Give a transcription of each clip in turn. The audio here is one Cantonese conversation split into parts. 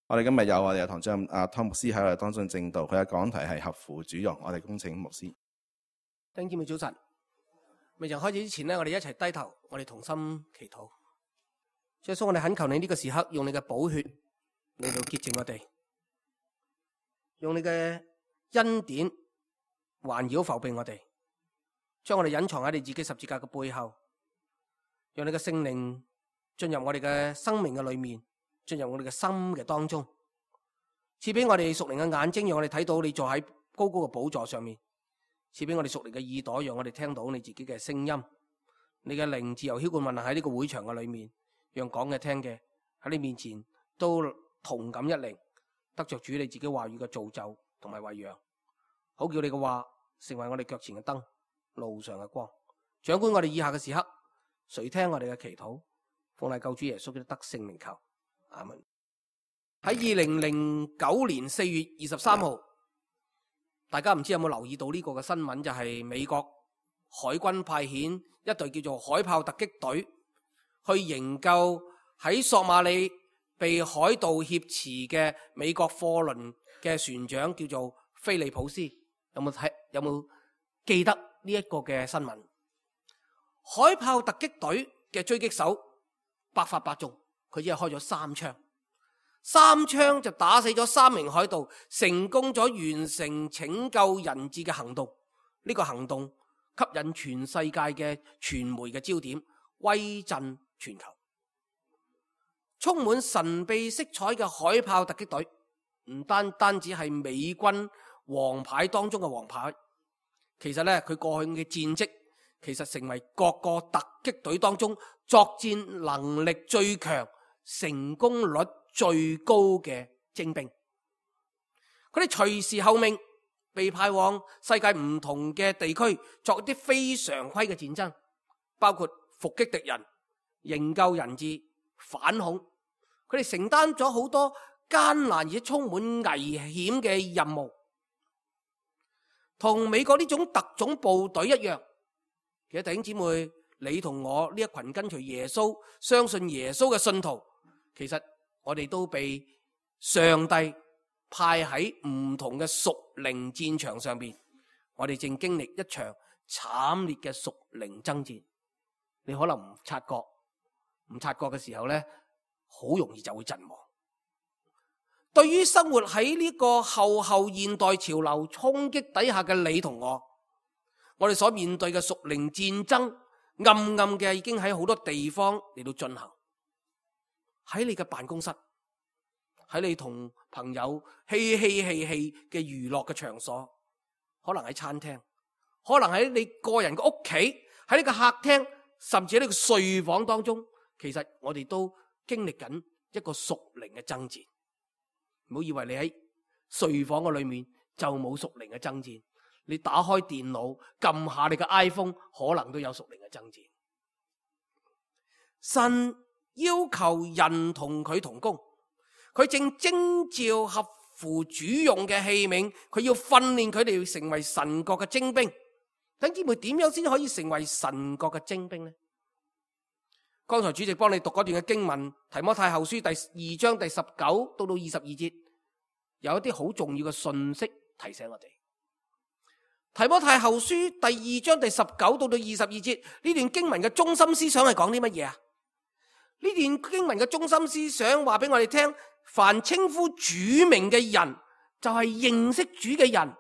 我哋今日有我哋嘅堂主任湯牧師喺我哋當中證道，佢嘅講題係合乎主用。我哋恭請牧師。弟兄姊妹早晨，未曾開始之前呢，我哋一齊低頭，我哋同心祈禱。主耶穌，我哋懇求你呢個時刻用你嘅寶血嚟到潔淨我哋，用你嘅恩典環繞覆庇我哋，將我哋隱藏喺你自己十字架嘅背後，讓你嘅聖靈進入我哋嘅生命嘅裏面，進入我哋嘅心嘅當中，賜俾我哋屬靈嘅眼睛，讓我哋睇到你坐喺高高嘅寶座上面，賜俾我哋屬靈嘅耳朵，讓我哋聽到你自己嘅聲音。你嘅靈自由澆灌運行喺呢個會場嘅裏面，讓講嘅聽嘅喺你面前都同感一靈，得着主你自己話語嘅造就同埋餵養，好叫你嘅話成為我哋腳前嘅燈，路上嘅光。掌管我哋以下嘅時刻，垂聽我哋嘅祈禱，奉賴救主耶穌基督得聖名求，阿門。喺2009年4月23號，大家唔知有冇留意到呢個嘅新聞，就係美國海軍派遣一隊叫做海豹突擊隊去營救喺索馬里被海盜挾持嘅美國貨輪嘅船長，叫做菲利普斯。有冇記得呢一個嘅新聞？海豹突擊隊嘅追擊手百發百中，佢只係開咗3槍就打死咗3名海盜，成功咗完成拯救人質嘅行動。呢個行動吸引全世界嘅傳媒嘅焦點，威震全球。充滿神秘色彩嘅海豹突擊隊，唔單止係美軍王牌當中嘅王牌，其實咧佢過去嘅戰績，其實成為各個突擊隊當中作戰能力最強、成功率最高嘅精兵。佢哋隨時候命，被派往世界唔同嘅地區作一啲非常規嘅戰爭，包括伏擊敵人、營救人質、反恐。佢哋承擔咗好多艱難而且充滿危險嘅任務，同美國呢種特種部隊一樣。其實弟兄姊妹，你同我呢一群跟隨耶穌、相信耶穌嘅信徒，其實我哋都被上帝派喺唔同嘅屬靈戰場上邊，我哋正經歷一場慘烈嘅屬靈爭戰。你可能唔察覺嘅時候呢，好容易就會陣亡。對於生活喺呢個後現代潮流衝擊底下嘅你同我哋所面對嘅屬靈戰爭，暗嘅已經喺好多地方嚟到進行。喺你嘅辦公室，喺你同朋友嬉戲嘅娛樂嘅場所，可能喺餐廳，可能喺你個人嘅屋企，喺呢個客廳，甚至喺呢個睡房當中，其實我哋都經歷緊一個屬靈嘅爭戰。唔好以為你喺睡房嘅裏面就冇屬靈嘅爭戰，你打開電腦撳下你嘅 iPhone， 可能都有屬靈嘅爭戰。神要求人同佢同工，佢正徵召合乎主用嘅器皿，佢要訓練佢哋成為神國嘅精兵。弟兄姊妹，點樣先可以成為神國嘅精兵呢？剛才主席幫你讀嗰段嘅經文，提摩太後書第2章第19到22節，有一啲好重要嘅信息提醒我哋。提摩太後書第2章第19到22節，呢段經文嘅中心思想係講啲乜嘢啊？呢段經文嘅中心思想話俾我哋聽，凡稱呼主名嘅人，就係認識主嘅人，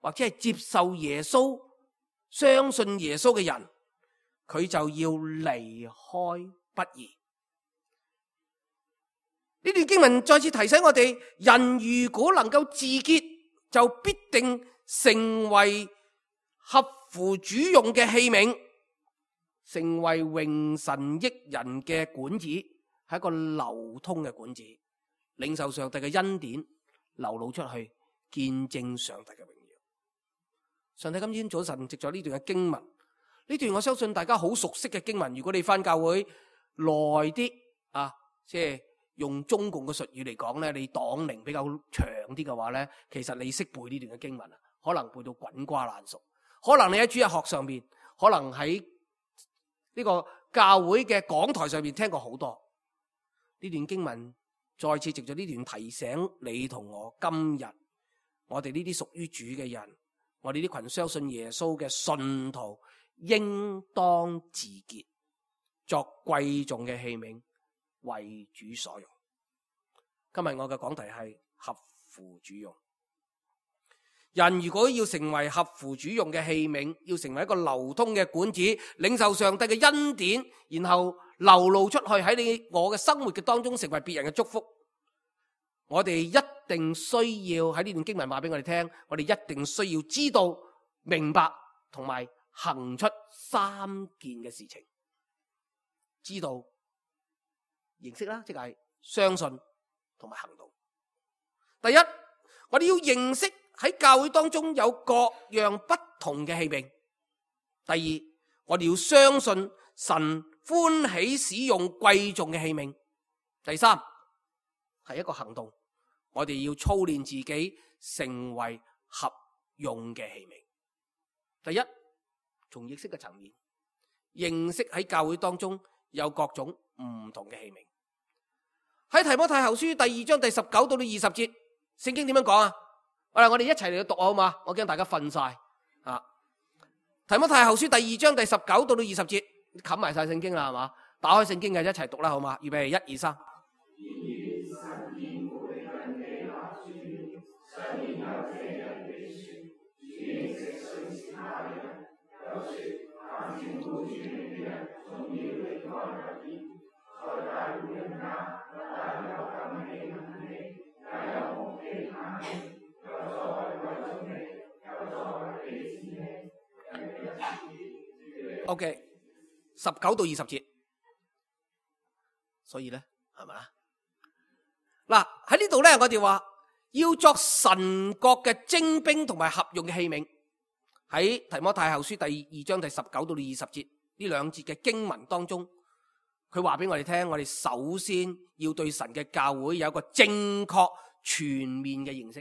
或者係接受耶穌、相信耶穌嘅人，佢就要離開不義。呢段經文再次提醒我哋，人如果能夠自潔，就必定成為合乎主用嘅器皿，成為榮神益人嘅管子，係一個流通嘅管子，領受上帝嘅恩典，流露出去，見證上帝嘅榮耀。上帝今天早晨藉咗呢段嘅經文，呢段我相信大家好熟悉嘅經文，如果你返教會耐啲啊，即係用中共嘅術語嚟講咧，你黨齡比較長啲嘅話咧，其實你識背呢段嘅經文啊，可能背到滾瓜爛熟。可能你喺主日學上面，可能喺呢個教會嘅講台上面聽過好多呢段經文，再次藉着呢段提醒你同我，今日我哋呢啲屬於主嘅人，我哋呢群相信耶穌嘅信徒，應當自潔，作貴重嘅器皿，為主所用。今日我嘅講題係合乎主用。人如果要成為合乎主用嘅器皿，要成為一個流通嘅管子，領受上帝嘅恩典，然後流露出去喺你我嘅生活嘅當中，成為別人嘅祝福。我哋一定需要喺呢段經文話俾我哋聽，我哋一定需要知道、明白同埋行出三件嘅事情。知道、認識啦，即係相信同埋行動。第一，我哋要認識喺教會當中有各樣不同嘅器皿。第二，我哋要相信神歡喜使用貴重嘅器皿。第三，係一個行動，我哋要操練自己成為合用嘅器皿。第一，從認識嘅層面，認識喺教會當中有各種唔同嘅器皿。喺提摩太後書第2章第19到20節，聖經點樣講啊？我哋一齊嚟讀好嘛？我驚大家瞓晒啊！提摩太後書第2章第19到20節，冚埋晒聖經啦，係嘛？打開聖經嘅一齊讀啦，好嘛？預備1、2、3。OK， 19到20節，所以咧係咪啊？嗱，喺呢度咧，我哋話要作神國嘅精兵同埋合用嘅器皿。喺提摩太後書第2章第19到20節呢兩節嘅經文當中，佢話俾我哋聽，我哋首先要對神嘅教會有一個正確全面嘅認識。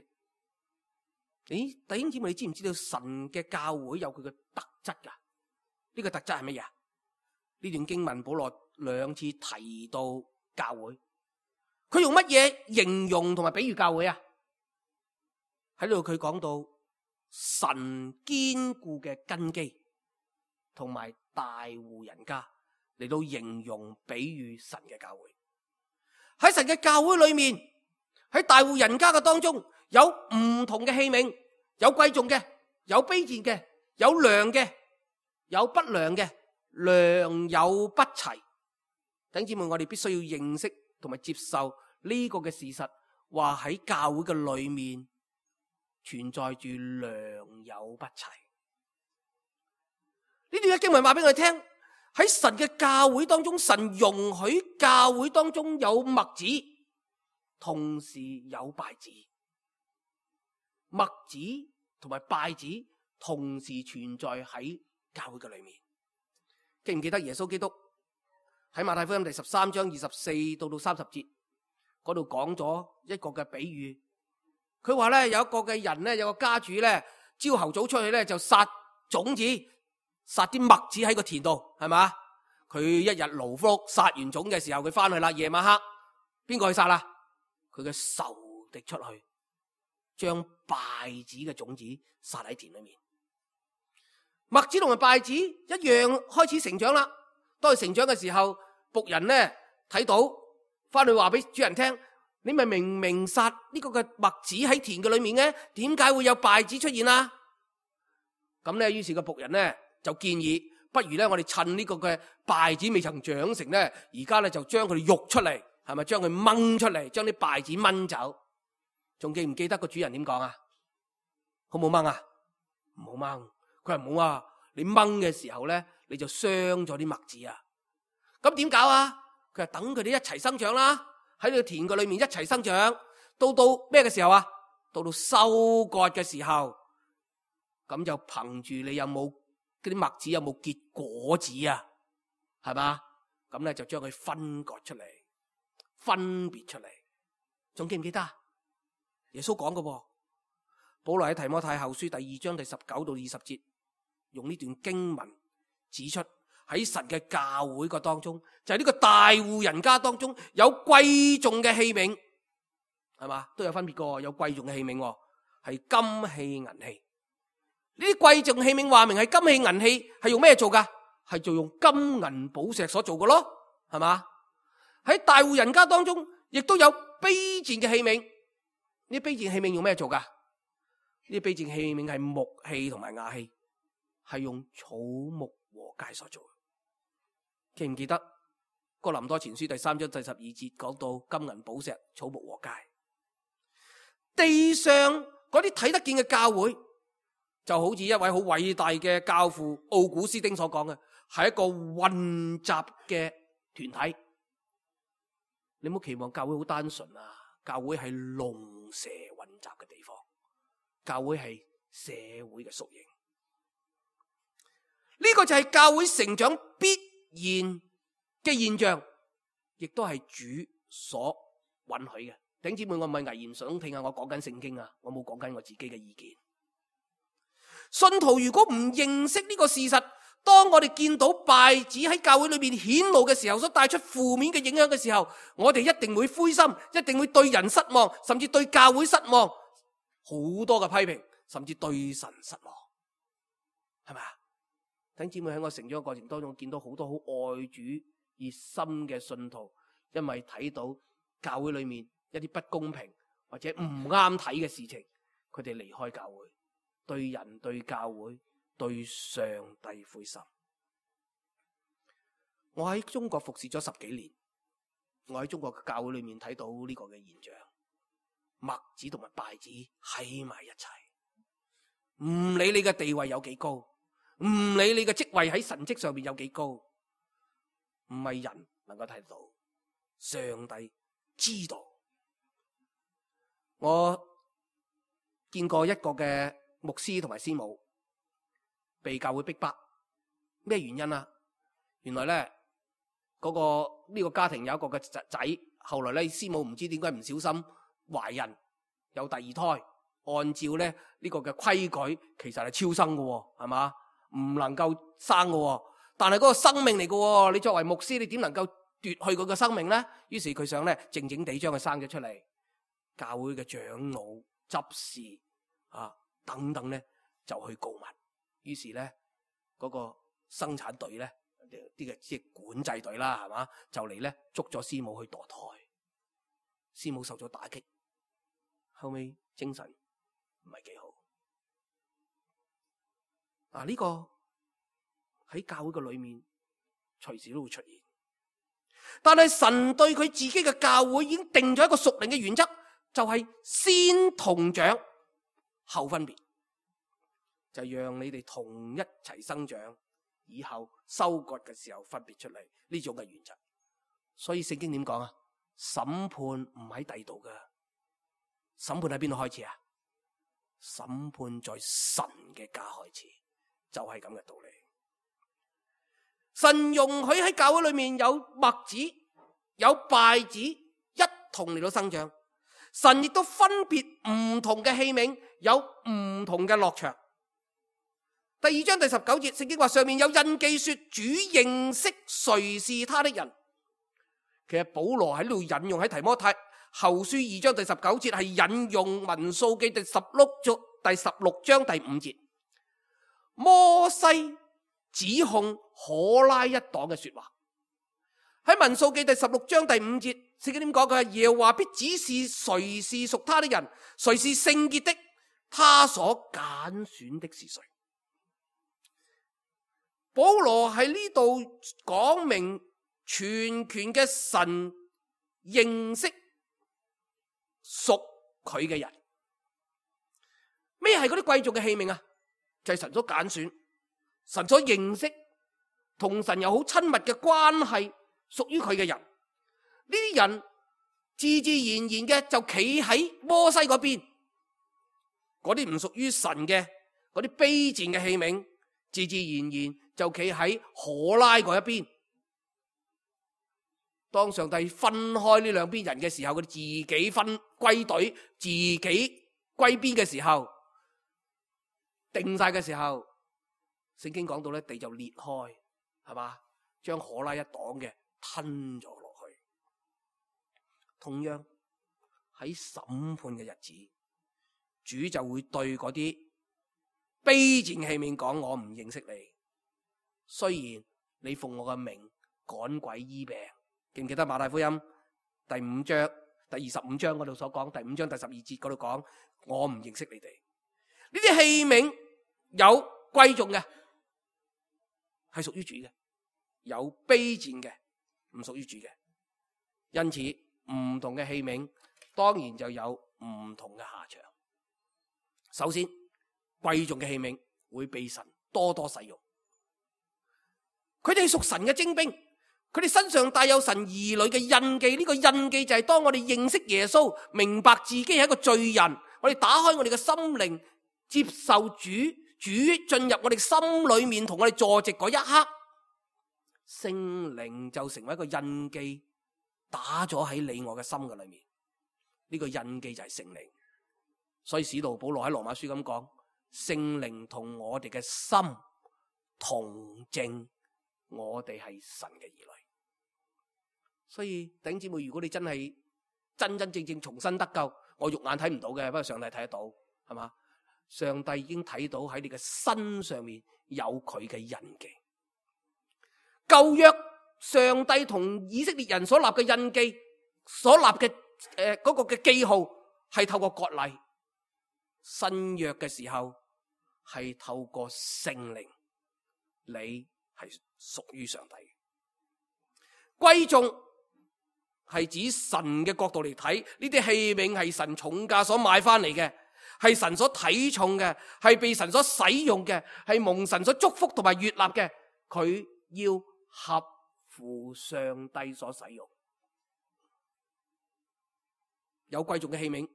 弟兄姊妹，你知唔知道神嘅教會有佢嘅特質噶？呢個特質係乜嘢？呢段經文保羅兩次提到教會，佢用乜嘢形容同埋比喻教會啊？喺度佢講到神堅固嘅根基，同埋大戶人家嚟到形容比喻神嘅教會。喺神嘅教會裏面，喺大戶人家嘅當中，有唔同嘅器皿，有貴重嘅，有卑賤嘅，有良嘅，有不良嘅，良莠不齊。弟兄姊妹，我哋必須要認識同埋接受呢個嘅事實，話喺教會嘅裏面存在住良莠不齊。呢段嘅經文話俾我哋聽，喺神嘅教會當中，神容許教會當中有麥子，同時有稗子。麥子同埋稗子同時存在喺教會嘅裏面。記唔記得耶穌基督喺馬太福音第13章24到30節嗰度講咗一個嘅比喻？佢話咧，有一個嘅人咧，有個家主咧，朝頭早出去咧就撒種子，撒啲麥子喺個田度，係嘛？佢一日勞碌撒完種嘅時候，佢翻去啦，夜晚黑邊個去撒啦？佢嘅仇敵出去，將稗子嘅種子撒喺田裏面。麥子同埋稗子一樣開始成長啦。當佢成長嘅時候，僕人咧睇到，翻去話俾主人聽：你咪明明撒呢個嘅麥子喺田嘅裏面嘅，點解會有稗子出現啊？咁咧，於是個僕人咧就建議，不如咧我哋趁呢個嘅稗子未曾長成咧，而家咧就將佢哋育出嚟，係咪將佢掹出嚟，將啲稗子掹走？仲記唔記得個主人點講啊？好冇掹啊？唔好掹。佢話唔好啊，你掹嘅時候咧，你就傷咗啲麥子啊。咁點搞啊？佢話等佢哋一齊生長啦，喺呢個田嘅裏面一齊生長，到咩嘅時候啊？到收割嘅時候，咁就憑住你有冇嗰啲麥子有冇結果子啊？係嘛？咁咧就將佢分割出嚟，分別出嚟。仲記唔記得啊？耶穌講嘅喎，保羅喺提摩太後書第2章第19到20節，用呢段經文指出喺神嘅教會個當中，就係呢個大戶人家當中有貴重嘅器皿，係嘛？都有分別嘅，有貴重嘅器皿，係金器銀器。呢啲貴重器皿話明係金器銀器，係用咩做噶？係做用金銀寶石所做嘅咯，係嘛？喺大戶人家當中，亦都有卑賤嘅器皿。呢啲卑賤器皿用咩做噶？呢啲卑賤器皿係木器同埋瓦器，係用草木禾秸所做。記唔記得哥林多前書第3章第12節講到金銀寶石、草木禾秸？地上嗰啲睇得見嘅教會，就好似一位好偉大嘅教父奧古斯丁所講嘅，係一個混雜嘅團體。你唔好期望教會好單純啊！教會係龍蛇混雜嘅地方，教會係社會嘅縮影。呢個就係教會成長必然嘅現象，亦都係主所允許嘅。弟兄姊妹，我唔係危言聳聽啊！我講緊聖經啊，我冇講緊我自己嘅意見。信徒如果唔認識呢個事實，當我哋見到稗子喺教會裏面顯露嘅時候，所帶出負面嘅影響嘅時候，我哋一定會灰心，一定會對人失望，甚至對教會失望，好多嘅批評，甚至對神失望，係咪啊？弟兄姊妹，喺我成長嘅過程當中，見到好多好愛主熱心嘅信徒，因為睇到教會裏面一啲不公平或者唔啱睇嘅事情，佢哋離開教會，對人、對教會、對上帝灰心。我喺中國服侍咗10幾年，我喺中國嘅教會裏面睇到呢個嘅現象，麥子同埋稗子喺埋一齊，唔理你嘅地位有幾高，唔理你嘅職位喺神職上面有幾高，唔係人能夠睇到，上帝知道。我見過一個嘅牧師同埋師母被教會逼迫，咩原因啊？原來咧呢個家庭有一個嘅仔，後來咧師母唔知點解唔小心懷孕有第二胎，按照咧呢個嘅規矩，其實係超生嘅，係嘛？唔能夠生嘅，但係嗰個生命嚟嘅，你作為牧師，你點能夠奪去佢嘅生命咧？於是佢想咧靜靜地將佢生咗出嚟，教會嘅長老、執事啊等等咧就去告密，於是咧嗰個生產隊咧啲嘅即係管制隊啦，係嘛，就嚟咧捉咗師母去墮胎，師母受咗打擊，後尾精神唔係幾好。呢個喺教會嘅裏面隨時都會出現，但係神對佢自己嘅教會已經定咗一個屬靈嘅原則，就係先同長後分別，就讓你哋同一齊生長，以後收割嘅時候分別出嚟，呢種嘅原則。所以聖經點講啊？審判唔喺第度㗎，審判喺邊度開始啊？審判在神嘅家開始，就係咁嘅道理。神容許喺教會裏面有麥子有稗子一同嚟到生長，神亦都分別唔同嘅器皿，有唔同嘅落場。第2章第19節，聖經話上面有印記說主認識誰是他的人。其實保羅喺呢度引用喺提摩太後書2章第19節，係引用民數記第16章第5節，摩西指控可拉一黨嘅說話。喺民數記第16章第5節，聖經點講？佢係耶和華必指示誰是屬他的人，誰是聖潔的，他所揀選的是誰。保羅喺呢度講明全權嘅神認識屬佢嘅人。咩係嗰啲貴重嘅器皿啊？就係神所揀選，神所認識，同神有好親密嘅關係，屬於佢嘅人。呢啲人自自然然嘅就企喺摩西嗰邊，嗰啲唔屬於神嘅嗰啲卑賤嘅器皿，自自然然就企喺可拉嗰一邊。當上帝分開呢兩邊人嘅時候，佢哋自己分歸隊，自己歸邊嘅時候，定晒嘅時候，聖經講到咧，地就裂開，係嘛，將可拉一黨嘅吞咗落去。同樣喺審判嘅日子，主就會對嗰啲卑賤器皿講：我唔認識你。雖然你奉我嘅名趕鬼醫病，記唔記得馬太福音第5章第25章嗰度所講，第5章第12節嗰度講，我唔認識你哋。呢啲器皿有貴重嘅，係屬於主嘅；有卑賤嘅，唔屬於主嘅。因此唔同嘅器皿當然就有唔同嘅下場。首先，貴重嘅器皿會被神多多使用，佢哋屬神嘅精兵，佢哋身上帶有神兒女嘅印記。呢個印記就係當我哋認識耶穌，明白自己係一個罪人，我哋打開我哋嘅心靈，接受主進入我哋心裏面同我哋坐席嗰一刻，聖靈就成為一個印記，打咗喺你我嘅心嘅裏面。呢個印記就係聖靈。所以使徒保羅喺羅馬書咁講，聖靈同我哋嘅心同證，我哋係神嘅兒女。所以弟兄姊妹，如果你真係真真正正重新得救，我肉眼睇唔到嘅，不過上帝睇得到，係嘛？上帝已經睇到喺你嘅身上面有佢嘅印記。舊約上帝同以色列人所立嘅印記，所立嘅嗰個嘅記號係透過割禮。新約嘅時候係透過聖靈，你係屬於上帝。貴重係指神嘅角度嚟睇，呢啲器皿係神重價所買翻嚟嘅，係神所睇重嘅，係被神所使用嘅，係蒙神所祝福同埋悅納嘅。佢要合乎上帝所使用。有貴重嘅器皿，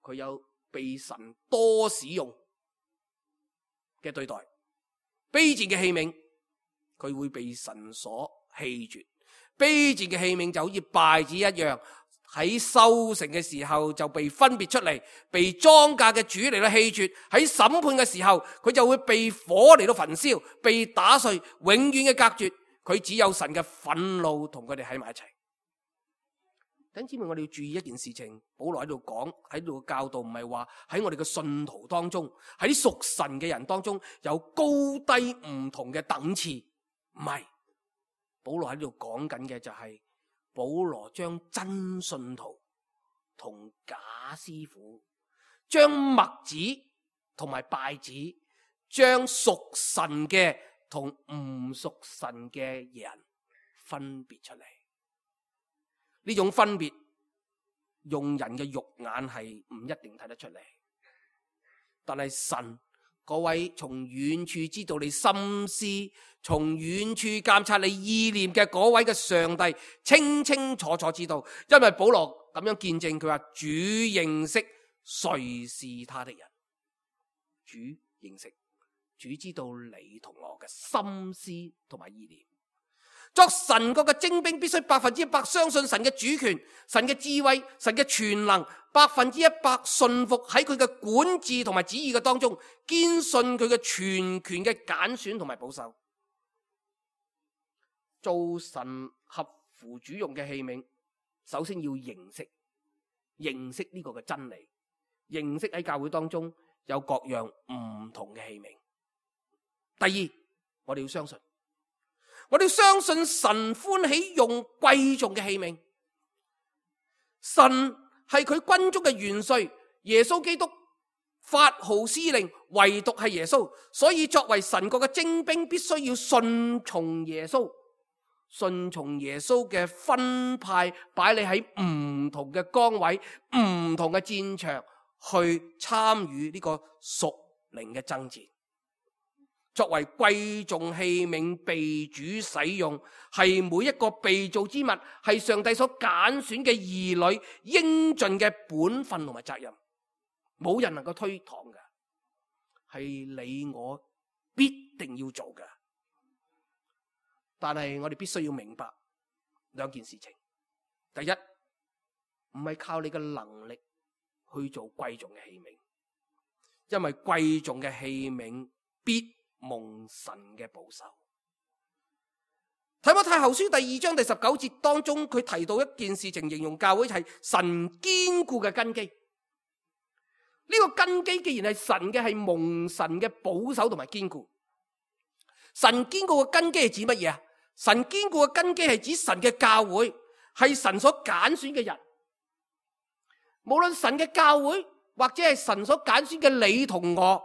佢有被神多使用嘅對待。卑賤嘅器皿，佢會被神所棄絕。卑賤嘅器皿就好似稗子一樣，喺收成嘅時候就被分別出嚟，被莊稼嘅主嚟到棄絕。喺審判嘅時候，佢就會被火嚟到焚燒，被打碎，永遠嘅隔絕。佢只有神嘅憤怒同佢哋喺埋一齊。弟兄姊妹，我哋要注意一件事情，保羅喺度講，喺度教導，唔係話喺我哋嘅信徒當中，喺啲屬神嘅人當中有高低唔同嘅等次，唔係。保羅喺度講緊嘅就係保羅將真信徒同假師傅，將麥子同埋稗子，將屬神嘅同唔屬神嘅人分別出嚟。呢種分別用人嘅肉眼係唔一定睇得出嚟，但係神嗰位從遠處知道你心思，從遠處監察你意念嘅嗰位嘅上帝，清清楚楚知道。因為保羅咁樣見證，佢話主認識誰是他的人，主認識，主知道你同我嘅心思同埋意念。作神國嘅精兵，必須100%相信神嘅主權、神嘅智慧、神嘅全能，100%信服喺佢嘅管治同埋旨意嘅當中，堅信佢嘅全權嘅揀選同埋保守。做神合乎主用嘅器皿，首先要認識呢個嘅真理，認識喺教會當中有各樣唔同嘅器皿。第二，我哋要相信。我哋相信神歡喜用貴重嘅器皿，神係佢軍中嘅元帥，耶穌基督發號施令，唯獨係耶穌，所以作為神國嘅精兵，必須要順從耶穌，順從耶穌嘅分派，擺你喺唔同嘅崗位、唔同嘅戰場去參與呢個屬靈嘅爭戰。作為貴重器皿被主使用，係每一個被造之物，係上帝所揀選嘅兒女應盡嘅本分同埋責任，冇人能夠推搪嘅，係你我必定要做嘅。但係我哋必須要明白兩件事情：第一，唔係靠你嘅能力去做貴重嘅器皿，因為貴重嘅器皿必蒙神嘅保守。提摩太後書第2章第19節當中，佢提到一件事情，形容教會係神堅固嘅根基。呢個根基既然係神嘅，係蒙神嘅保守同埋堅固。神堅固嘅根基係指乜嘢啊？神堅固嘅根基係指神嘅教會，係神所揀選嘅人。無論神嘅教會或者係神所揀選嘅你同我，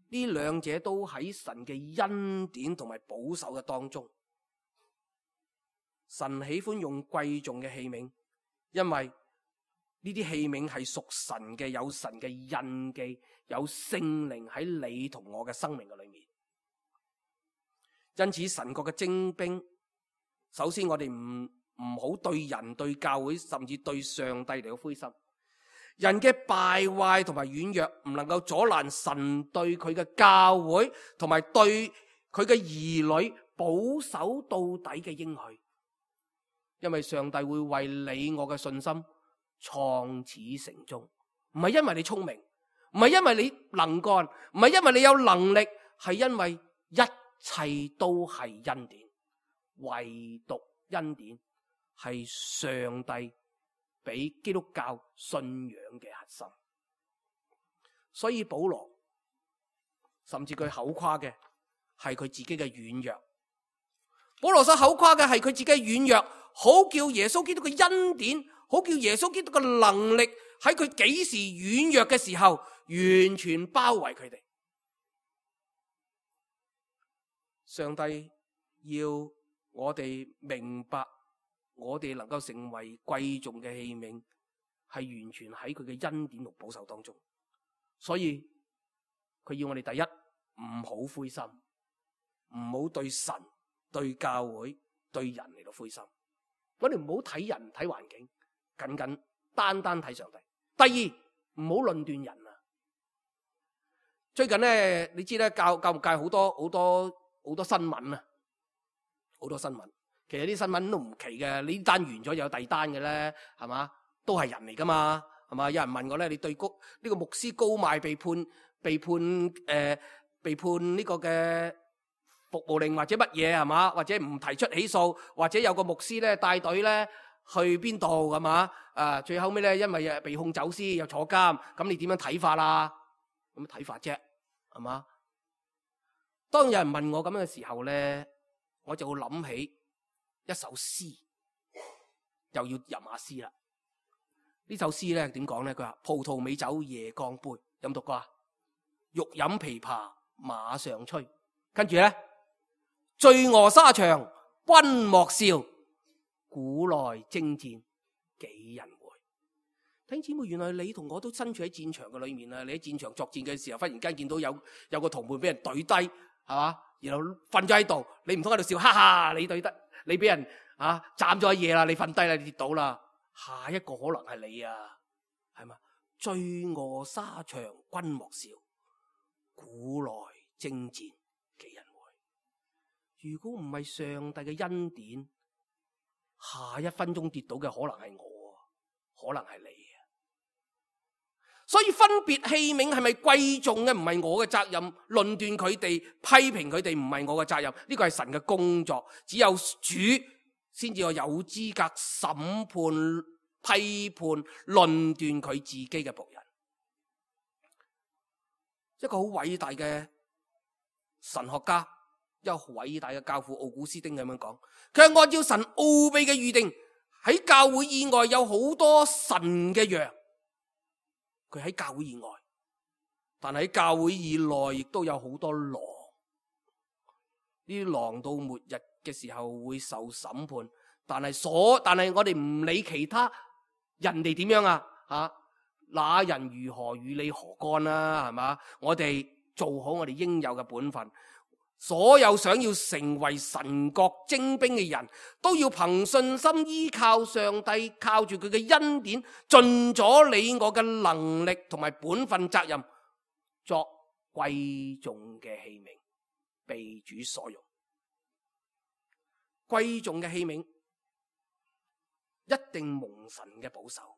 呢兩者都喺神嘅恩典同埋保守嘅當中。神喜歡用貴重嘅器皿，因為呢啲器皿係屬神嘅，有神嘅印記，有聖靈喺你同我嘅生命嘅裏面。因此神國嘅精兵，首先我哋唔好對人、對教會，甚至對上帝嚟到灰心。人嘅敗壞同埋軟弱唔能夠阻攔神對佢嘅教會同埋對佢嘅兒女保守到底嘅應許。因為上帝會為你我嘅信心創始成終，唔係因為你聰明，唔係因為你能幹，唔係因為你有能力，係因為一切都係恩典，唯獨恩典係上帝俾基督教信仰嘅核心。所以保羅甚至佢口誇嘅係佢自己嘅軟弱，保羅所口誇嘅係佢自己嘅軟弱，好叫耶穌基督嘅恩典，好叫耶穌基督嘅能力喺佢幾時軟弱嘅時候完全包圍佢哋。上帝要我哋明白，我哋能夠成為貴重嘅器皿，係完全喺佢嘅恩典同保守當中。所以佢要我哋第一，唔好灰心，唔好對神、對教會、對人嚟到灰心。我哋唔好睇人睇環境，僅單睇上帝。第二，唔好論斷人啊！最近咧，你知咧，教育界好多新聞啊，好多新聞。其實啲新聞都唔奇嘅，呢單完咗有第二單嘅咧，係嘛？都係人嚟噶嘛，係嘛？有人問我咧，你對呢個牧師高邁被判呢個嘅服務令或者乜嘢係嘛？或者唔提出起訴，或者有個牧師咧帶隊咧去邊度係嘛？最後尾咧因為被控走私又坐監，咁你點樣睇法啊？咁睇法啫，係嘛？當有人問我咁樣嘅時候咧，我就會諗起一首詩，又要吟下詩啦。呢首詩咧點講咧？佢話葡萄美酒夜光杯，有冇讀過啊？欲飲琵琶馬上催，跟住咧醉臥沙場君莫笑，古來征戰幾人回。弟兄姊妹，原來你同我都身處喺戰場嘅裏面啊！你喺戰場作戰嘅時候，忽然間見到有個同伴俾人懟低，係嘛？然後瞓咗喺度，你唔通喺度笑，哈哈！你懟得，你俾人斬咗一嘢啦，你瞓低啦，你跌倒啦，下一個可能係你啊，係嘛？醉臥沙場君莫笑，古來征戰幾人回。如果唔係上帝嘅恩典，下一分鐘跌倒嘅可能係我，可能係你啊。所以分別器皿係咪貴重嘅，唔係我嘅責任；論斷佢哋、批評佢哋，唔係我嘅責任。呢個係神嘅工作，只有主先至有資格審判、批判、論斷佢自己嘅僕人。一個好偉大嘅神學家，一個好偉大嘅教父奧古斯丁咁樣講，佢係按照神奧秘嘅預定，喺教會以外有好多神嘅羊。佢喺教會以外，但係喺教會以內亦都有好多狼。呢啲狼到末日嘅時候會受審判，但係我哋唔理其他人哋點樣啊，那人如何與你何干啊？係嘛？我哋做好我哋應有嘅本分。所有想要成為神國精兵嘅人，都要憑信心依靠上帝，靠住佢嘅恩典，盡咗你我嘅能力同埋本分責任，作貴重嘅器皿，被主所用。貴重嘅器皿一定蒙神嘅保守，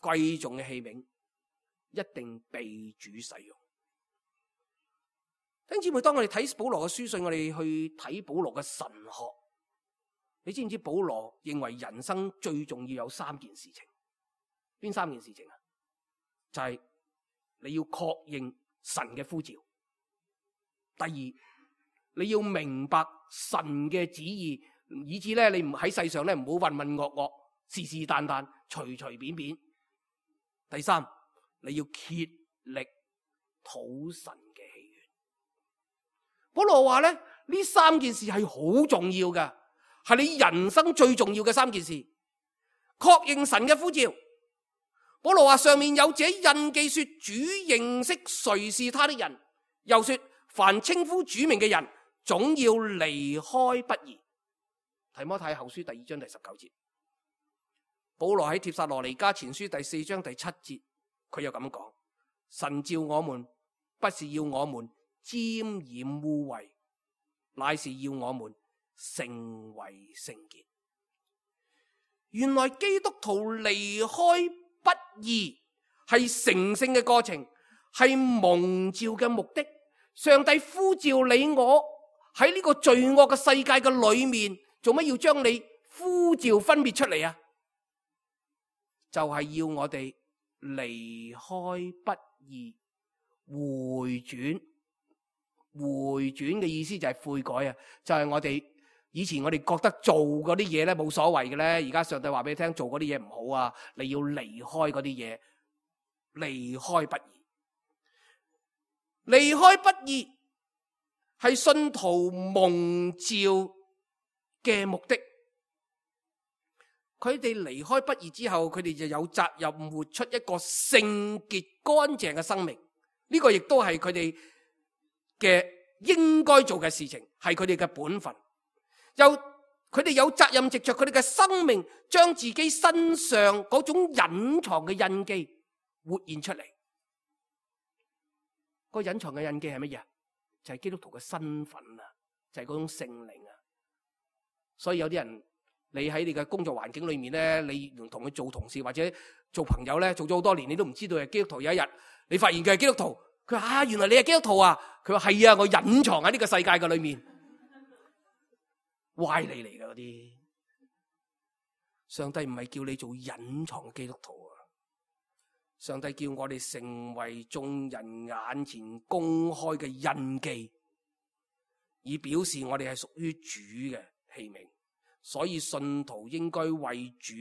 貴重嘅器皿一定被主使用。弟兄姊妹，當我哋睇保羅嘅書信，我哋去睇保羅嘅神學，你知唔知保羅認為人生最重要有3件事情？邊3件事情啊？就係你要確認神嘅呼召，第二你要明白神嘅旨意，以致咧你唔喺世上咧唔好渾渾噩噩、是是但但、隨隨便便。第三，你要竭力討神嘅喜悅。保羅話咧，呢3件事係好重要嘅，係你人生最重要嘅3件事。確認神嘅呼召。保羅話，上面有這印記說主認識誰是他的人，又說凡稱呼主名嘅人總要離開不義。提摩太後書第2章第19節。保羅喺帖撒羅尼迦前書第4章第7節，佢又咁講：神召我們不是要我們沾染污穢，乃是要我們成為聖潔。原來基督徒離開不義係成聖嘅過程，係蒙召嘅目的。上帝呼召你我喺呢個罪惡嘅世界嘅裏面，做乜要將你呼召分別出嚟啊？就係要我哋離開不義，回轉。回轉嘅意思就係悔改啊！就係我哋以前我哋覺得做嗰啲嘢咧冇所謂嘅咧，而家上帝話俾你聽，做嗰啲嘢唔好啊！你要離開嗰啲嘢，離開不義。離開不義係信徒蒙召嘅目的。佢哋離開不義之後，佢哋就有責任活出一個聖潔乾淨嘅生命。呢個亦都係佢哋嘅應該做嘅事情，係佢哋嘅本分。佢哋有責任藉着佢哋嘅生命，將自己身上嗰種隱藏嘅印記活現出嚟。個隱藏嘅印記係乜嘢？就係基督徒嘅身份啊，就係嗰種聖靈啊。所以有啲人，你喺你嘅工作環境裏面咧，你同佢做同事或者做朋友咧，做咗好多年，你都唔知道係基督徒。有一日你發現佢係基督徒，佢話原來你係基督徒啊！佢話係啊，我隱藏喺呢個世界嘅裏面，歪理嚟㗎嗰啲。上帝唔係叫你做隱藏嘅基督徒啊！上帝叫我哋成為眾人眼前公開嘅印記，以表示我哋係屬於主嘅器皿。所以信徒應該為主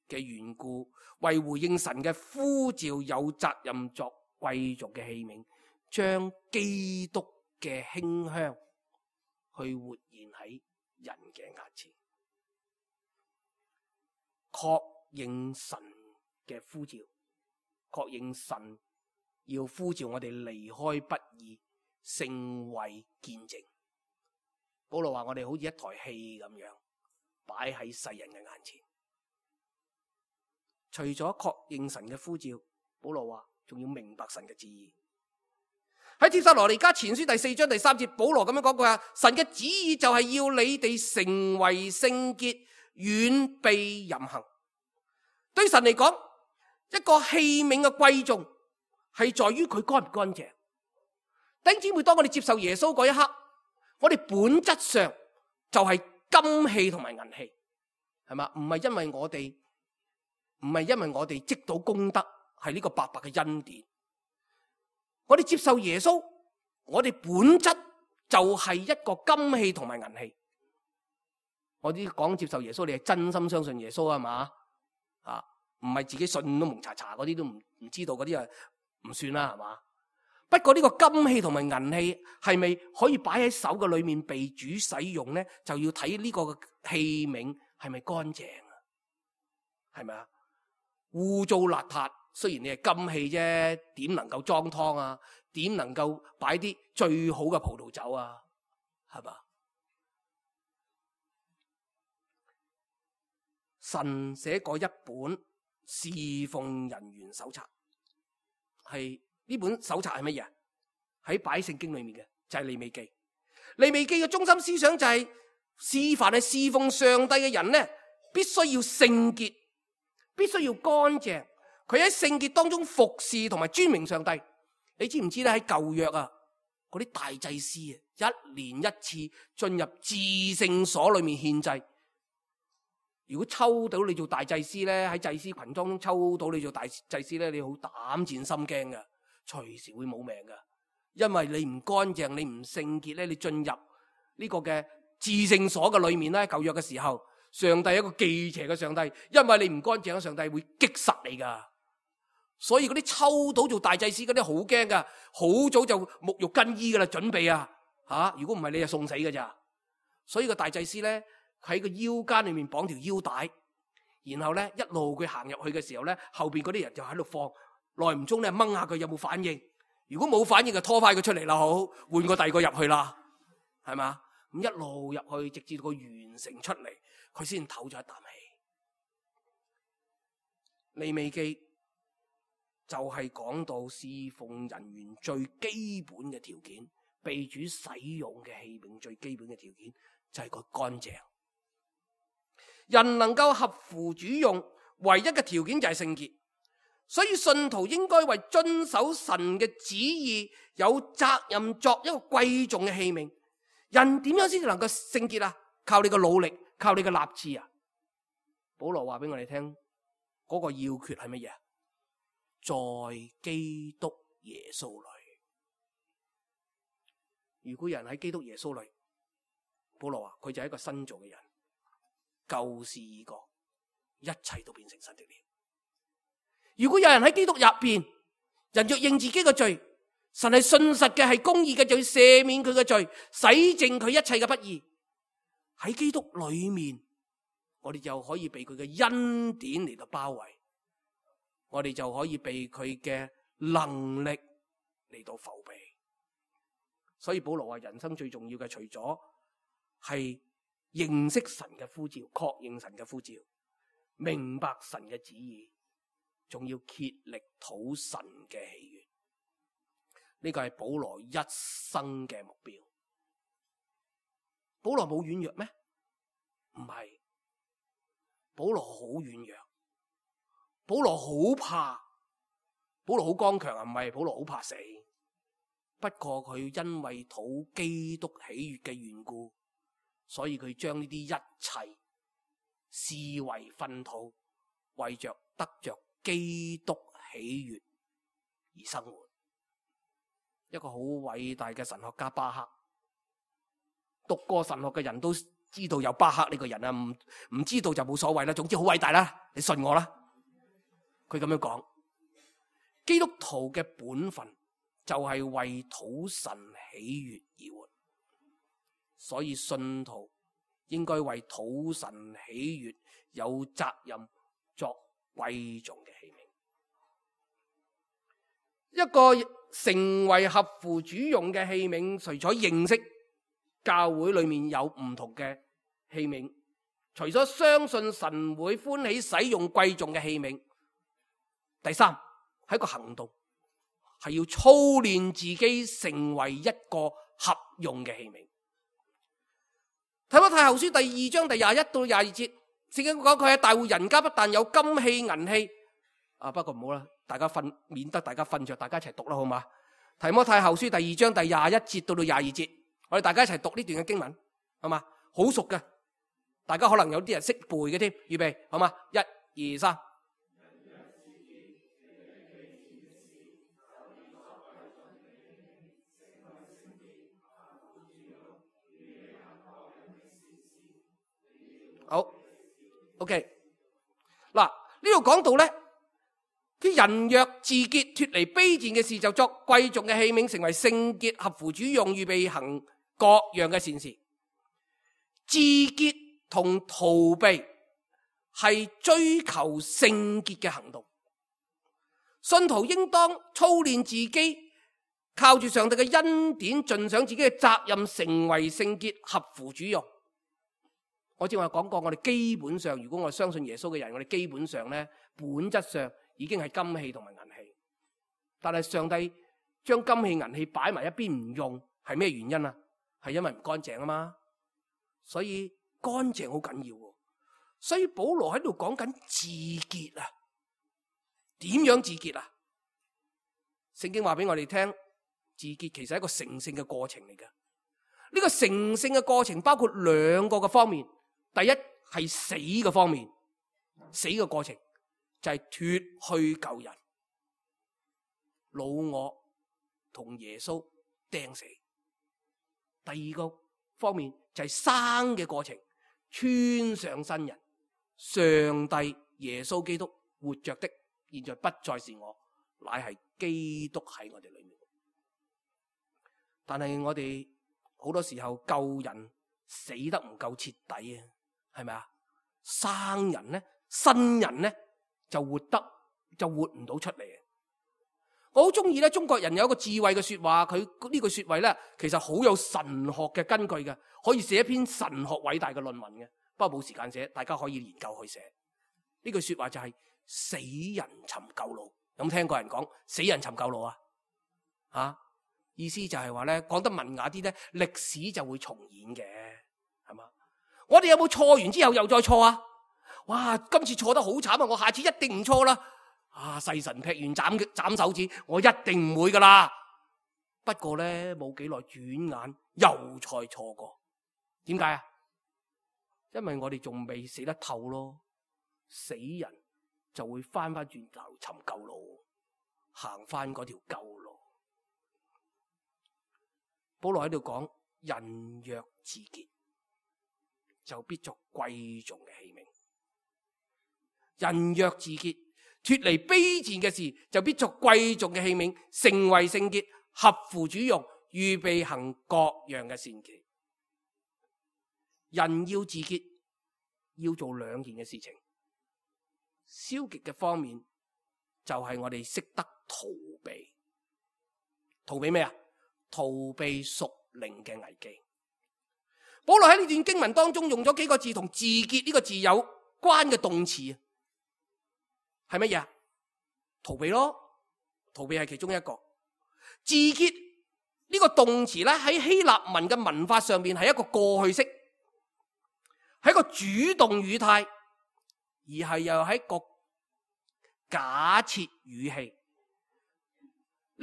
嘅緣故，為回應神嘅呼召有責任作貴族嘅器皿，將基督嘅馨香去活現喺人嘅眼前，確認神嘅呼召，確認神要呼召我哋離開不義，成為見證。保羅話我哋好似一台戲咁樣擺喺世人嘅眼前。除咗確認神嘅呼召，保羅話仲要明白神嘅旨意。喺帖撒羅尼迦前書第4章第3節，保羅咁樣講過啊，神嘅旨意就係要你哋成為聖潔，遠避淫行。對神嚟講，一個器皿嘅貴重係在於佢乾唔乾淨。弟兄姊妹，當我哋接受耶穌嗰一刻，我哋本質上就係金器同埋銀器，係嘛？唔係因為我哋積到功德，係呢個白白嘅恩典。我哋接受耶穌，我哋本質就係一個金器同埋銀器。我啲講接受耶穌，你係真心相信耶穌啊嘛？啊，唔係自己信都蒙查查嗰啲都唔知道嗰啲啊，唔算啦，係嘛？不過呢個金器同埋銀器係咪可以擺喺手嘅裏面被主使用咧？就要睇呢個器皿係咪乾淨啊？係咪啊？污糟邋遢，雖然你係金器啫，點能夠裝湯啊？點能夠擺啲最好嘅葡萄酒啊？係嘛？神寫過一本侍奉人員手冊，係呢本手冊係乜嘢？喺擺聖經裏面嘅就係利未記。利未記嘅中心思想就係凡係侍奉上帝嘅人咧，必須要聖潔，必須要乾淨。佢喺聖潔當中服侍同埋尊榮上帝。你知唔知咧？喺舊約啊，嗰啲大祭司啊，一年一次進入至聖所裏面獻祭。如果抽到你做大祭司咧，喺祭司群當中抽到你做大祭司咧，你好膽戰心驚㗎，隨時會冇命㗎。因為你唔乾淨，你唔聖潔咧，你進入呢個嘅至聖所嘅裏面咧，舊約嘅時候，上帝係一個忌邪嘅上帝，因為你唔乾淨，上帝會擊殺你㗎。所以嗰啲抽到做大祭司嗰啲好驚㗎，好早就沐浴更衣㗎啦，準備啊，如果唔係你就送死㗎咋。所以個大祭司咧喺個腰間裏面綁條腰帶，然後咧一路佢行入去嘅時候咧，後邊嗰啲人就喺度放，耐唔中咧掹下佢有冇反應，如果冇反應就拖翻佢出嚟啦，好換個第二個入去啦，係嘛？咁一路入去，直至到佢完成出嚟，佢先唞咗一啖氣。利未記就係講到侍奉人員最基本嘅條件，被主使用嘅器皿最基本嘅條件就係佢乾淨。人能夠合乎主用，唯一嘅條件就係聖潔。所以信徒應該為遵守神嘅旨意有責任，作一個貴重嘅器皿。人點樣先至能夠聖潔啊？靠你嘅努力，靠你嘅立志啊！保羅話俾我哋聽，嗰個要訣係乜嘢？在基督耶穌裏。如果人喺基督耶穌裏，保羅話佢就係一個新造嘅人，舊事已過，一切都變成新的了。如果有人喺基督入邊，人若認自己嘅罪，神係信實嘅，係公義嘅，就要赦免佢嘅罪，洗淨佢一切嘅不義。喺基督裏面，我哋就可以被佢嘅恩典嚟到包圍，我哋就可以被佢嘅能力嚟到扶庇。所以保羅話人生最重要嘅，除咗係認識神嘅呼召，確認神嘅呼召，明白神嘅旨意，仲要竭力討神嘅喜悅。呢個係保羅一生嘅目標。保羅冇軟弱咩？唔係，保羅好軟弱，保羅好怕，保羅好剛強啊！唔係，保羅好怕死。不過佢因為討基督喜悅嘅緣故，所以佢將呢啲一切視為糞土，為着得着基督喜悅而生活。一個好偉大嘅神學家巴克，讀過神學嘅人都知道有巴克呢個人啊，唔知道就冇所謂啦。總之好偉大啦，你信我啦。佢咁樣講，基督徒嘅本分就係為討神喜悅而活，所以信徒應該為討神喜悅有責任，作貴重嘅器皿。一個成為合乎主用嘅器皿，除咗認識教會裏面有唔同嘅器皿，除咗相信神會歡喜使用貴重嘅器皿，第三係一個行動，係要操練自己成為一個合用嘅器皿。提摩太後書第2章第21到22節，聖經講佢喺大戶人家，不但有金器銀器，不過唔好啦，大家免得大家瞓着，大家一齊讀啦，好嘛？提摩太後書第2章第21節到22節，我哋大家一齊讀呢段嘅經文，好嘛？好熟嘅，大家可能有啲人識背嘅添，預備好嘛？1、2、3。好 ，OK。嗱，呢度講到咧，啲人若自潔，脫離卑賤嘅事，就作貴重嘅器皿，成為聖潔，合乎主用，預備行各樣嘅善事。自潔同逃避係追求聖潔嘅行動。信徒應當操練自己，靠住上帝嘅恩典，盡上自己嘅責任，成為聖潔，合乎主用。我正話講過，我哋基本上，如果我相信耶穌嘅人，我哋基本上咧，本質上已經係金器同埋銀器。但係上帝將金器銀器擺埋一邊唔用，係咩原因啊？係因為唔乾淨啊嘛。所以乾淨好緊要。所以保羅喺度講緊自潔啊。點樣自潔啊？聖經話俾我哋聽，自潔其實係一個成聖嘅過程嚟嘅。呢個成聖嘅過程包括兩個嘅方面，第一係死嘅方面，死嘅過程就係脫去舊人，老我同耶穌釘死。第二個方面就係生嘅過程，穿上新人，上帝耶穌基督活着的，現在不再是我，乃係基督喺我哋裏面。但係我哋好多時候救人死得唔夠徹底啊，係咪啊？生人咧，新人咧就活唔到出嚟。我好中意咧，中國人有一個智慧嘅說話，佢呢句說話咧，其實好有神學嘅根據嘅，可以寫一篇神學偉大嘅論文嘅。不過冇時間寫，大家可以研究去寫。呢句說話就係死人尋舊路。有冇聽過人講死人尋舊路啊？意思就係話咧，講得文雅啲咧，歷史就會重演嘅，係嘛？我哋有冇錯完之後又再錯啊？哇！今次錯得好慘啊！我下次一定唔錯啦。細神劈完斬手指，我一定唔會噶啦。不過咧，冇幾耐轉眼又再錯過。點解啊？因為我哋仲未死得透咯。死人就會翻轉頭尋舊路，行翻嗰條舊路。保羅喺度講，人若自潔，就必作貴重嘅器皿。人若自潔，脫離卑賤嘅事，就必作貴重嘅器皿，成為聖潔，合乎主用，預備行各樣嘅善事。人要自潔，要做兩件嘅事情。消極嘅方面就係我哋識得逃避。逃避咩啊？逃避屬靈嘅危機。保羅喺呢段經文當中用咗幾個字同自潔呢個字有關嘅動詞，係乜嘢啊？逃避咯，逃避係其中一個。自潔呢個動詞咧，喺希臘文嘅文法上面係一個過去式，係一個主動語態，而係又係一個假設語氣。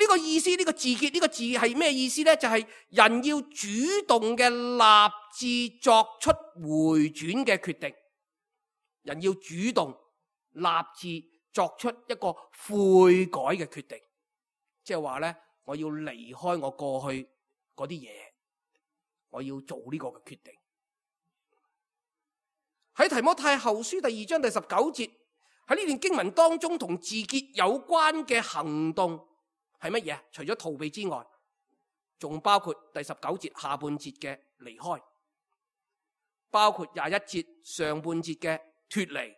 呢個意思，呢個自潔呢個字係咩意思呢？就係人要主動嘅立志作出回轉嘅決定，人要主動立志作出一個悔改嘅決定，即係話咧，我要離開我過去嗰啲嘢，我要做呢個嘅決定。喺提摩太後書第2章第19節，喺呢段經文當中同自潔有關嘅行動係乜嘢？除咗逃避之外，仲包括第19節下半節嘅離開，包括21節上半節嘅脫離，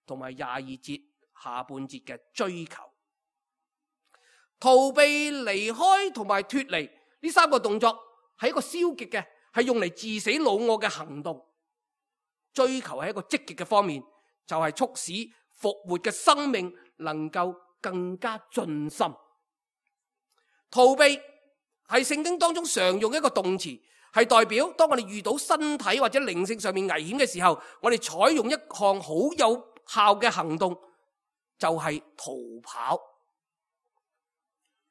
同埋22節下半節嘅追求。逃避、離開同埋脫離呢三個動作係一個消極嘅，係用嚟致死老我嘅行動。追求係一個積極嘅方面，就係促使復活嘅生命能夠更加盡心。逃避係聖經當中常用一個動詞，係代表當我哋遇到身體或者靈性上面危險嘅時候，我哋採用一項好有效嘅行動，就係逃跑。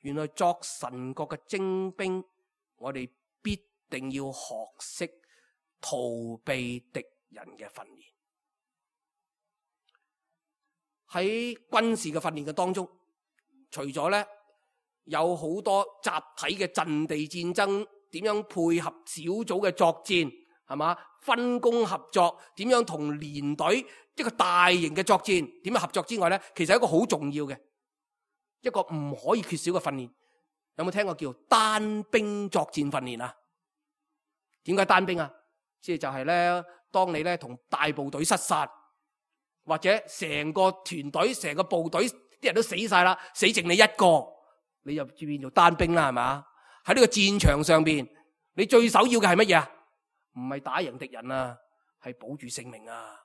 原來作神國嘅精兵，我哋必定要學識逃避敵人嘅訓練。喺軍事嘅訓練嘅當中，除咗咧有好多集體嘅陣地戰爭，點樣配合小組嘅作戰，係嘛？分工合作，點樣同連隊一個大型嘅作戰，點樣合作之外咧，其實係一個好重要嘅一個唔可以缺少嘅訓練。有冇聽過叫單兵作戰訓練啊？點解單兵啊？即係就係咧，當你咧同大部隊失散，或者成個團隊、成個部隊啲人都死晒啦，死剩你一個，你就變做單兵啦，係嘛？喺呢個戰場上邊，你最首要嘅係乜嘢啊？唔係打贏敵人啊，係保住性命啊！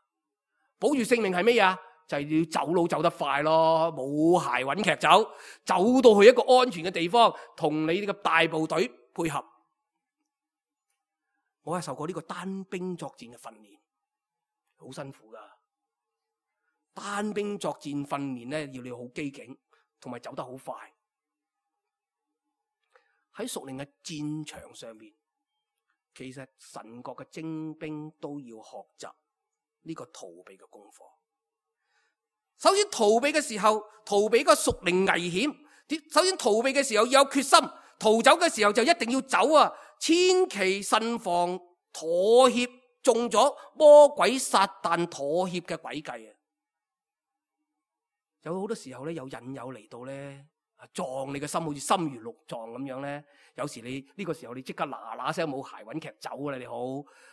保住性命係乜嘢啊？就係要走路走得快咯，冇鞋揾劇走，走到去一個安全嘅地方，同你呢個大部隊配合。我係受過呢個單兵作戰嘅訓練，好辛苦噶。單兵作戰訓練咧，要你好機警，同埋走得好快。喺屬靈嘅戰場上面，其實神國嘅精兵都要學習呢個逃避嘅功課。首先逃避嘅時候，逃避個屬靈危險。首先逃避嘅時候要有決心，逃走嘅時候就一定要走啊！千祈慎防妥協，中咗魔鬼撒旦妥協嘅詭計啊！有好多時候咧，有引誘嚟到咧，撞你嘅心，好似心如鹿撞咁樣咧。有時你呢個時候你即刻嗱嗱聲冇鞋揾劇走啦！你好，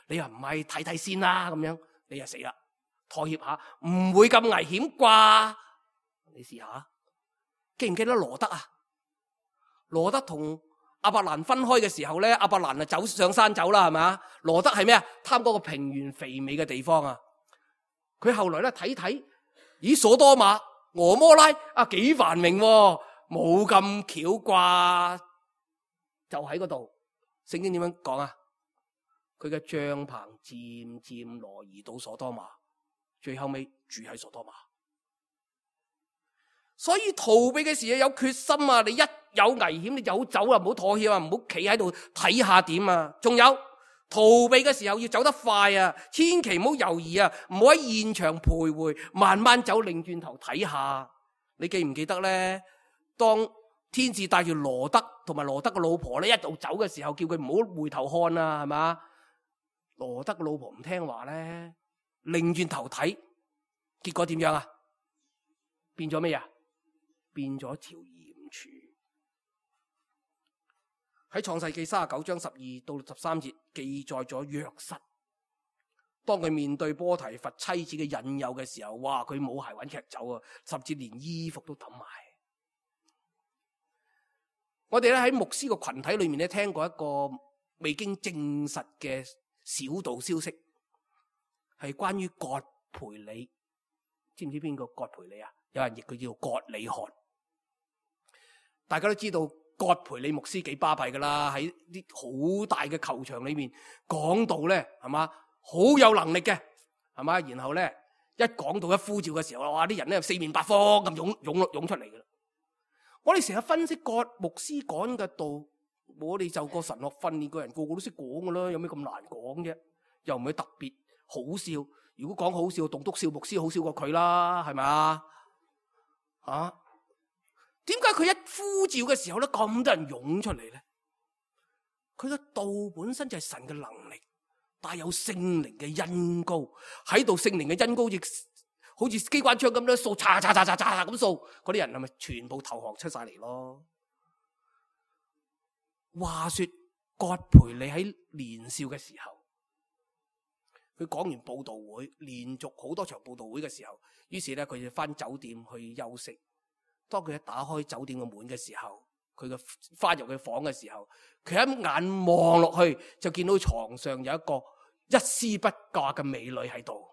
你又唔係睇睇先啦咁樣，你又死啦！妥協下，唔會咁危險啩？你試下，記唔記得羅德啊？羅德同亞伯蘭分開嘅時候咧，亞伯蘭啊走上山走啦，係咪啊？羅德係咩啊？貪嗰個平原肥美嘅地方啊！佢後來咧睇睇，咦，所多瑪、俄摩拉啊幾繁榮，冇咁巧啩？就喺嗰度，聖經點樣講啊？佢嘅帳篷漸漸挪移到所多瑪。最後尾住喺所多瑪，所以逃避嘅時候有決心啊！你一有危險你就走啊，唔好妥協啊，唔好企喺度睇下點啊！仲有逃避嘅時候要走得快啊，千祈唔好猶豫啊，唔好喺現場徘徊，慢慢走，擰轉頭睇下。你記唔記得咧？當天使帶住羅德同埋羅德嘅老婆咧一路走嘅時候，叫佢唔好回頭看啊，係嘛？羅德嘅老婆唔聽話咧。擰轉頭睇，結果點樣啊？變咗咩啊？變咗條鹽柱。喺創世記39章12到13節記載咗約瑟，當佢面對波提乏妻子嘅引誘嘅時候，哇！佢冇鞋揾劇走啊，甚至連衣服都抌埋。我哋咧喺牧師個群體裏面咧聽過一個未經證實嘅小道消息。係關於葛培理，知唔知邊個葛培理啊？有人譯佢叫葛理翰。大家都知道葛培理牧師幾巴閉噶啦，喺啲好大嘅球場裏面講道咧，係嘛，好有能力嘅，係嘛。然後咧一講到一呼召嘅時候，哇！啲人咧四面八方咁湧出嚟噶啦。我哋成日分析葛牧師講嘅道，我哋就個神學訓練個人個個都識講噶啦，有咩咁難講啫？又唔係特別好笑，如果講好笑，棟篤笑牧師好笑過佢啦，係咪啊？點解佢一呼召嘅時候咧，咁多人湧出嚟咧？佢嘅道本身就係神嘅能力，帶有聖靈嘅恩膏喺度，聖靈嘅恩膏好似機關槍咁樣掃，嚓咁掃，嗰啲人係咪全部投降出晒嚟咯？話說葛培理喺年少嘅時候。佢講完佈道會，連續好多場佈道會嘅時候，於是咧佢就翻酒店去休息。當佢一打開酒店嘅門嘅時候，佢嘅翻入佢房嘅時候，佢一眼望落去就見到床上有一個一絲不掛嘅美女喺度。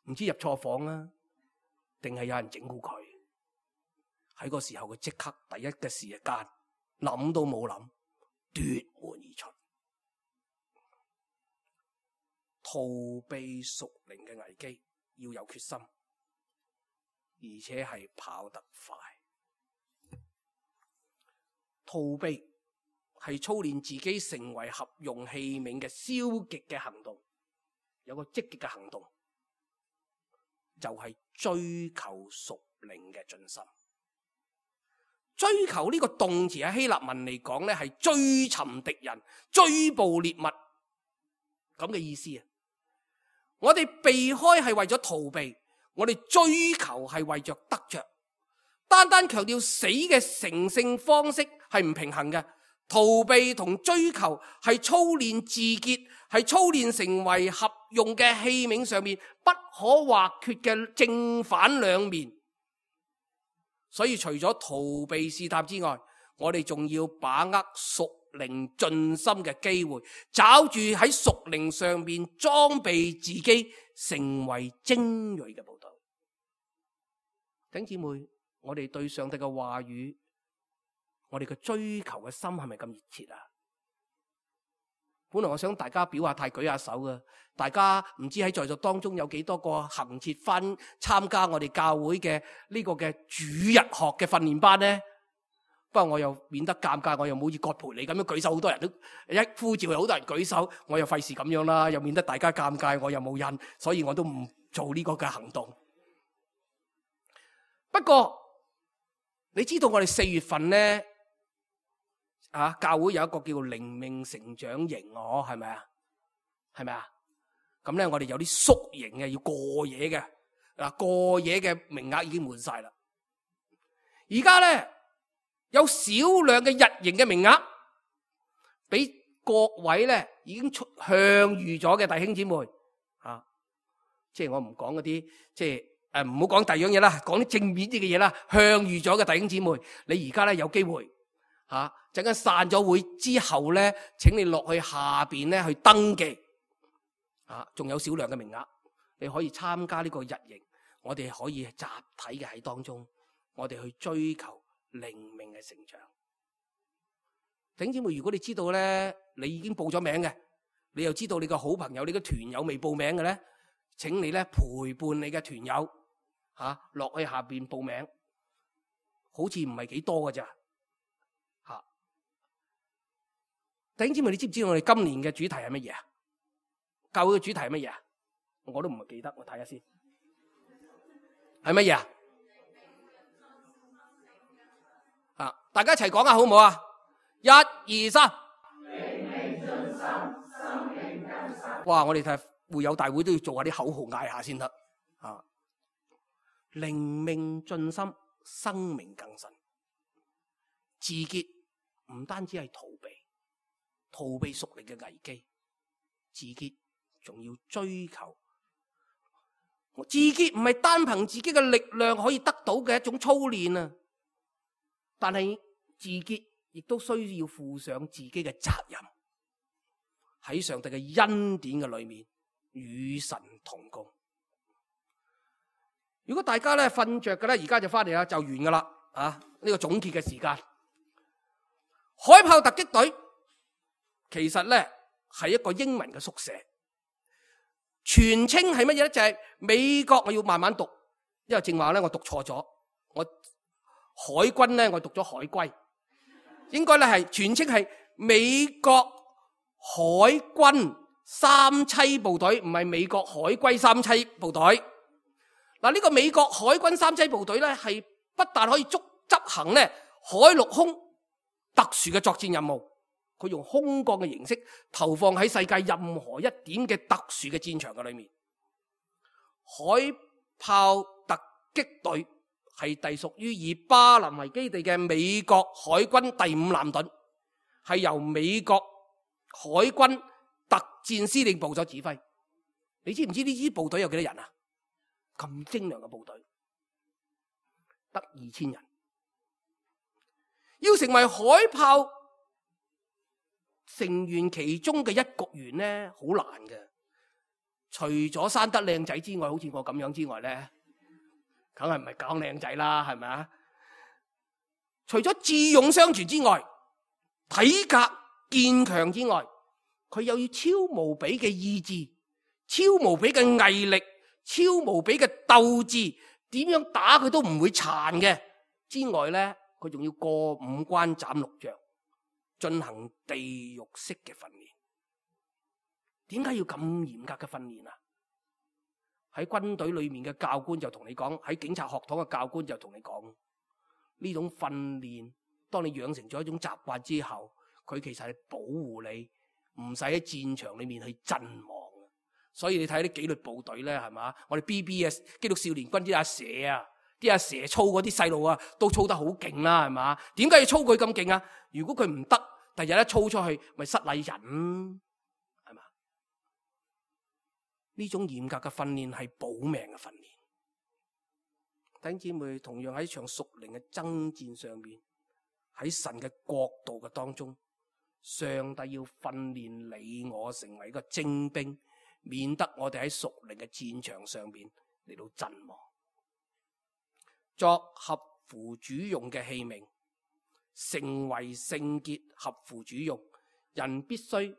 唔知入錯房啦，定係有人整蠱佢？喺個時候佢即刻第一嘅時間諗都冇諗，奪門而出。逃避屬靈嘅危機要有決心，而且係跑得快。逃避係操練自己成為合用器皿嘅消極嘅行動，有個積極嘅行動就係追求屬靈嘅進心。追求呢個動詞喺希臘文嚟講咧，係追尋敵人、追捕獵物咁嘅意思啊！我哋避開係為咗逃避，我哋追求係為着得着。單單強調死嘅成聖方式係唔平衡嘅。逃避同追求係操練自潔，係操練成為合用嘅器皿上面不可或缺嘅正反兩面。所以除咗逃避試探之外，我哋仲要把握屬靈進心嘅機會，找住喺屬靈上面裝備自己，成為精銳嘅部隊。弟兄姊妹，我哋對上帝嘅話語，我哋嘅追求嘅心係咪咁熱切啊？本來我想大家表下態舉下手嘅，大家唔知喺在座當中有幾多個恆切翻參加我哋教會嘅呢個嘅主日學嘅訓練班呢？不過我又免得尷尬，我又冇好似葛培理咁樣舉手，好多人都一呼召，有好多人舉手，我又費事咁樣啦，又免得大家尷尬，我又冇印，所以我都唔做呢個嘅行動。不過你知道我哋4月份咧教會有一個叫靈命成長營，係咪啊？係咪啊？咁咧我哋有啲宿營嘅，要過夜嘅。過夜嘅名額已經滿晒啦。而家咧有少量嘅日營嘅名額，俾各位咧已經向預咗嘅弟兄姊妹即係我唔講嗰啲，即係唔好講第二樣嘢啦，講啲正面啲嘅嘢啦。向預咗嘅弟兄姊妹，你而家咧有機會陣間散咗會之後咧，請你落去下邊咧去登記仲有少量嘅名額，你可以參加呢個日營。我哋可以集體嘅喺當中，我哋去追求靈命嘅成長。弟兄姊妹，如果你知道咧，你已經報咗名嘅，你又知道你個好朋友、你個團友未報名嘅咧，請你咧陪伴你嘅團友落去下邊報名，好似唔係幾多㗎咋弟兄姊妹，你知唔知道我哋今年嘅主題係乜嘢啊？教會嘅主題係乜嘢啊？我都唔係記得，我睇下先。係乜嘢啊？大家一齊講下好唔好啊？1、2、3。靈命進心，生命更新。哇！我哋睇會友大會都要做下啲口號嗌下先得靈命進心，生命更新。自潔唔單止係逃避屬靈嘅危機，自潔仲要追求。自潔唔係單憑自己嘅力量可以得到嘅一種操練啊，但係自潔亦都需要負上自己嘅責任，喺上帝嘅恩典嘅裏面與神同工。如果大家咧瞓着嘅咧，而家就翻嚟啦，就完噶啦呢個總結嘅時間。海豹突擊隊其實咧係一個英文嘅縮寫。全稱係乜嘢咧？就係美國，我要慢慢讀，因為正話咧我讀錯咗。我海軍咧我讀咗海龜，應該咧係全稱係美國海軍三棲部隊，唔係美國海龜三棲部隊。嗱，呢個美國海軍三棲部隊咧係不但可以執行咧海陸空特殊嘅作戰任務。佢用空降嘅形式投放喺世界任何一點嘅特殊嘅戰場嘅裏面。海豹突擊隊係隸屬於以巴林為基地嘅美國海軍第5艦隊，係由美國海軍特戰司令部所指揮。你知唔知呢支部隊有幾多人啊？咁精良嘅部隊得2000人。要成為海豹成員其中嘅一局員咧，好難嘅。除咗生得靚仔之外，好似我咁樣之外咧，梗係唔係講靚仔啦，係咪啊？除咗智勇雙全之外，體格堅強之外，佢又要超無比嘅意志、超無比嘅毅力、超無比嘅鬥志，點樣打佢都唔會殘嘅。之外咧，佢仲要過5關斬6將。進行地獄式嘅訓練。點解要咁嚴格嘅訓練啊？喺軍隊裏面嘅教官就同你講，喺警察學堂嘅教官就同你講，呢種訓練當你養成咗一種習慣之後，佢其實係保護你唔使喺戰場裏面去陣亡。所以你睇啲紀律部隊咧，係嘛？我哋 BB 基督少年軍啲阿蛇啊，啲阿蛇操嗰啲細路啊，都操得好勁啦，係嘛？點解要操佢咁勁啊？如果佢唔得，第日一操出去，咪失禮人，係嘛？呢種嚴格嘅訓練係保命嘅訓練。弟兄姊妹，同樣喺一場屬靈嘅爭戰上面，喺神嘅國度嘅當中，上帝要訓練你我成為一個精兵，免得我哋喺屬靈嘅戰場上面嚟到陣亡。作合乎主用嘅器皿，成為聖潔合乎主用，人必須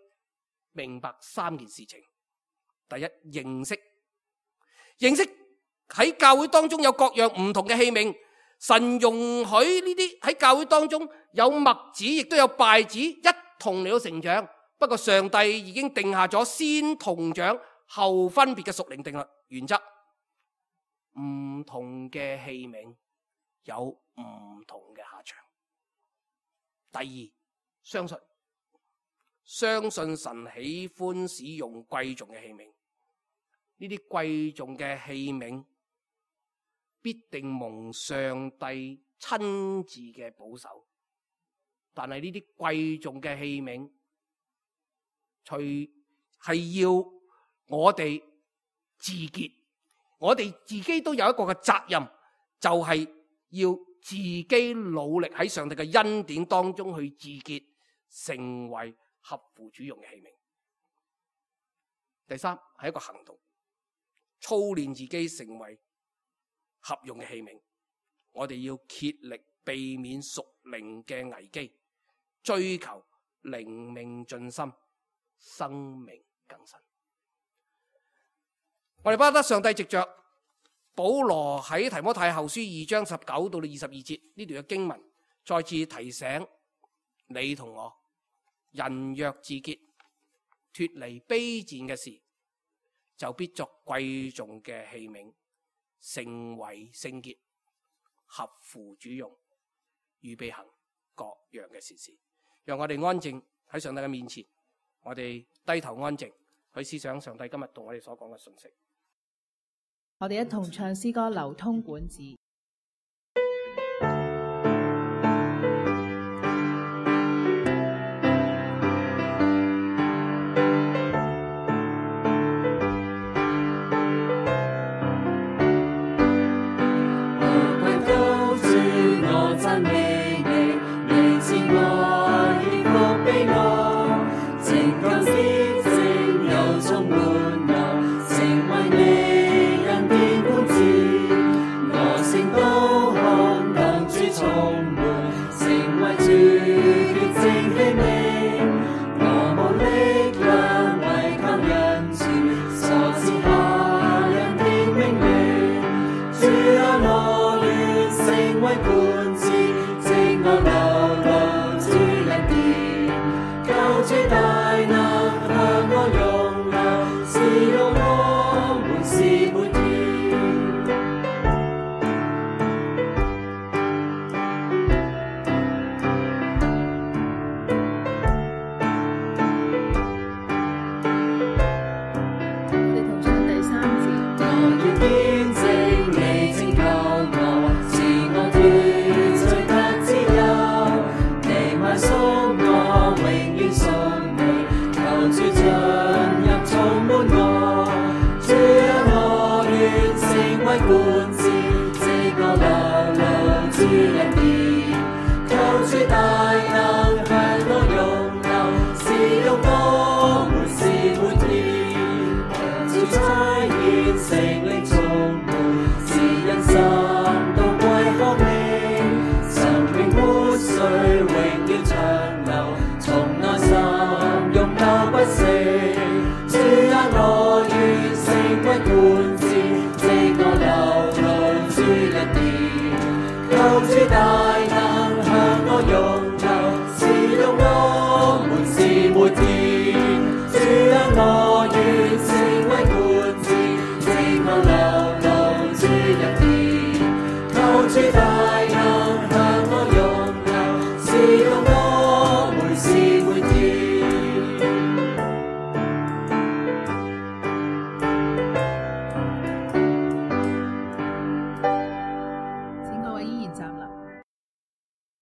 明白3件事情。第一，認識喺教會當中有各樣唔同嘅器皿，神容許呢啲喺教會當中有麥子，亦都有稗子一同嚟到成長。不過上帝已經定下咗先同長後分別嘅屬靈定律原則。唔同嘅器皿有唔同嘅下場。第二，相信神喜歡使用貴重嘅器皿。呢啲貴重嘅器皿必定蒙上帝親自嘅保守。但係呢啲貴重嘅器皿，除係要我哋自潔，我哋自己都有一個嘅責任，就係要自己努力喺上帝嘅恩典當中去自潔，成為合乎主用嘅器皿。第三，係一個行動，操練自己成為合用嘅器皿。我哋要竭力避免屬靈嘅危機，追求靈命進心，生命更新。我哋巴得上帝藉着保羅喺提摩太後書2章19到22節呢段嘅經文，再次提醒你同我，人若自潔，脫離卑賤嘅事，就必作貴重嘅器皿，成為聖潔，合乎主用，預備行各樣嘅善事。讓我哋安靜喺上帝嘅面前，我哋低頭安靜去思想上帝今日同我哋所講嘅信息。我哋一同唱詩歌《流通管子》。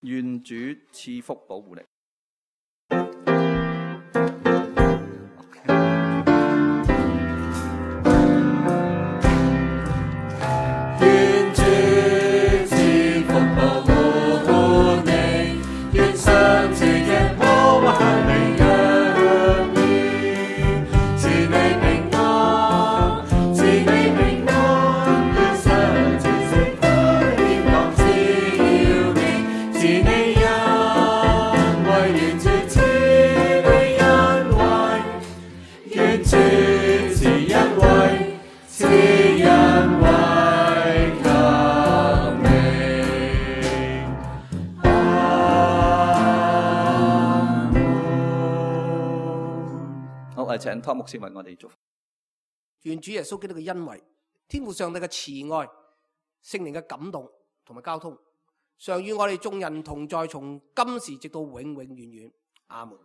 願主賜福保護你。是你恩惠我哋請湯牧師為我哋祝福。願主耶穌基督嘅恩惠、天父上帝嘅慈愛、聖靈嘅感動同埋交通，常與我哋眾人同在，從今時直到永永遠遠。阿門。